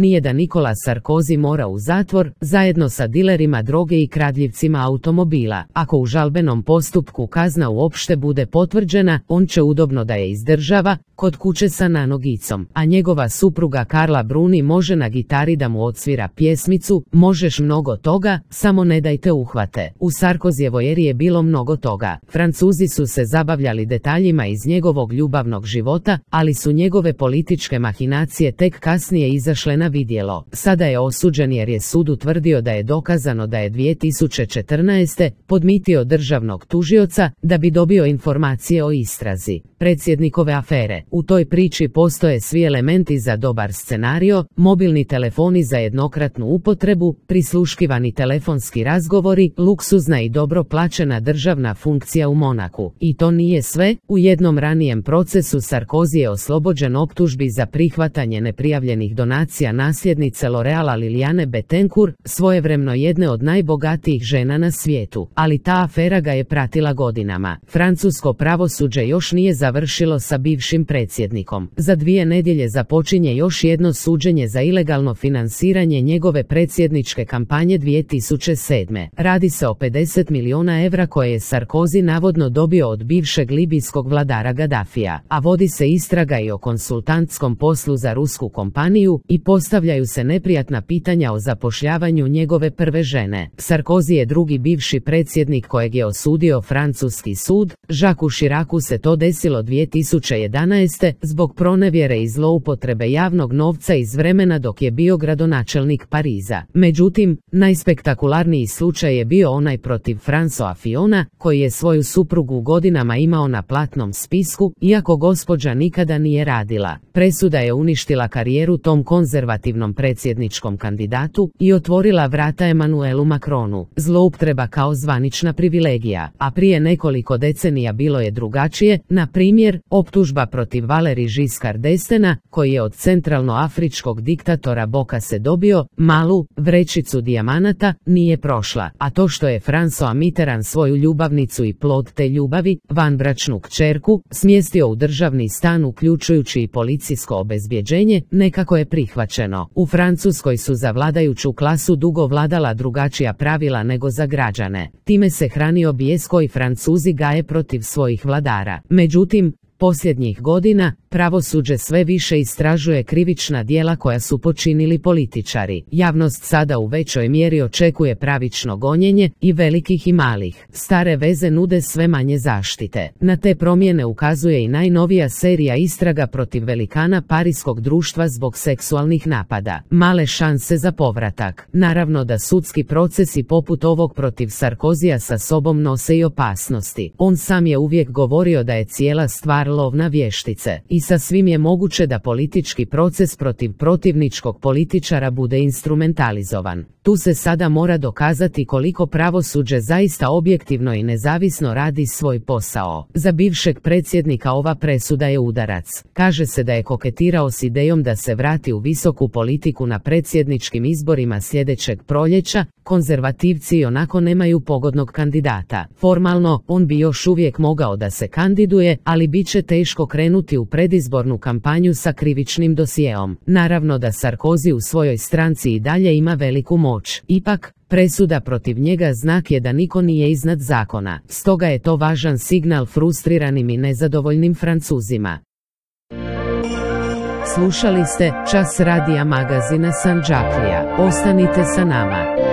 nije da Nicolas Sarkozy mora u zatvor, zajedno sa dilerima droge i kradljivcima automobila. Ako u žalbenom postupku kazna uopšte bude potvrđena, on će udobno da je izdržava, kod kuće sa nanogicom, a njegova supruga Carla Bruni može na gitari da mu odsvira pjesmicu "Možeš mnogo toga, samo ne dajte uhvate". U Sarkozijevoj eri je bilo mnogo toga. Francuzi su se zabavljali detaljima iz njegovog ljubavnog života, ali su njegove političke mahinacije tek kasnije izašle na vidjelo. Sada je osuđen jer je sud utvrdio da je dokazano da je 2014. podmitio državnog tužioca da bi dobio informacije o istrazi predsjednikove afere. U toj priči postoje svi elementi za dobar scenario: mobilni telefoni za jednokratnu upotrebu, prisluškivani telefonski razgovori, luksuzna i dobro plaćena državna funkcija u Monaku. I to nije sve. U jednom ranijem procesu Sarkozy je oslobođen optužbi za prihvatanje neprijavljenih donacija nasljednice L'Oreala Liliane Bettencourt, svojevremeno jedne od najbogatijih žena na svijetu. Ali ta afera ga je pratila godinama. Francusko pravosuđe još nije završilo sa bivšim predsjednikom. Za 2 nedjelje započinje još jedno suđenje za ilegalno finansiranje njegove predsjedničke kampanje 2007. Radi se o 50 milijuna evra koje je Sarkozy navodno dobio od bivšeg libijskog vladara Gaddafija, a vodi se istraga i o konsultantskom poslu za rusku kompaniju i postavljaju se neprijatna pitanja o zapošljavanju njegove prve žene. Sarkozy je drugi bivši predsjednik kojeg je osudio francuski sud. Jacques Chiracu se to desilo 2011. zbog pronevjere i zloupotrebe javnog novca iz vremena dok je bio gradonačelnik Pariza. Međutim, najspektakularniji slučaj je bio onaj protiv François Fillona, koji je svoju suprugu godinama imao na platnom spisku, iako gospođa nikada nije radila. Presuda je uništila karijeru tom konzervativnom predsjedničkom kandidatu i otvorila vrata Emmanuelu Macronu. Zloupotreba kao zvanična privilegija, a prije nekoliko decenija bilo je drugačije. Na primjer, optužba protiv Valéry Giscard d'Estainga, koji je od centralnoafričkog diktatora Bokase dobio malu vrećicu dijamanata, nije prošla, a to što je François Mitterrand svoju ljubavnicu i plod te ljubavi, vanbračnu kćerku, smjestio u državni stan uključujući i policijsko obezbjeđenje, nekako je prihvaćeno. U Francuskoj su za vladajuću klasu dugo vladala drugačija pravila nego za građane. Time se hranio bijes koji Francuzi gaje protiv svojih vladara. Međutim, posljednjih godina pravosuđe sve više istražuje krivična djela koja su počinili političari. Javnost sada u većoj mjeri očekuje pravično gonjenje, i velikih i malih. Stare veze nude sve manje zaštite. Na te promjene ukazuje i najnovija serija istraga protiv velikana parijskog društva zbog seksualnih napada. Male šanse za povratak. Naravno da sudski procesi poput ovog protiv Sarkozija sa sobom nose i opasnosti. On sam je uvijek govorio da je cijela stvar lov na vještice, i sasvim je moguće da politički proces protiv protivničkog političara bude instrumentalizovan. Tu se sada mora dokazati koliko pravosuđe zaista objektivno i nezavisno radi svoj posao. Za bivšeg predsjednika ova presuda je udarac. Kaže se da je koketirao s idejom da se vrati u visoku politiku na predsjedničkim izborima sljedećeg proljeća. Konzervativci ionako nemaju pogodnog kandidata. Formalno, on bi još uvijek mogao da se kandiduje, ali bit će teško krenuti u predizbornu kampanju sa krivičnim dosjeom. Naravno da Sarkozy u svojoj stranci i dalje ima veliku moć. Ipak, presuda protiv njega znak je da niko nije iznad zakona. Stoga je to važan signal frustriranim i nezadovoljnim Francuzima. Slušali ste Čas radija magazina Sandžaklija. Ostanite sa nama.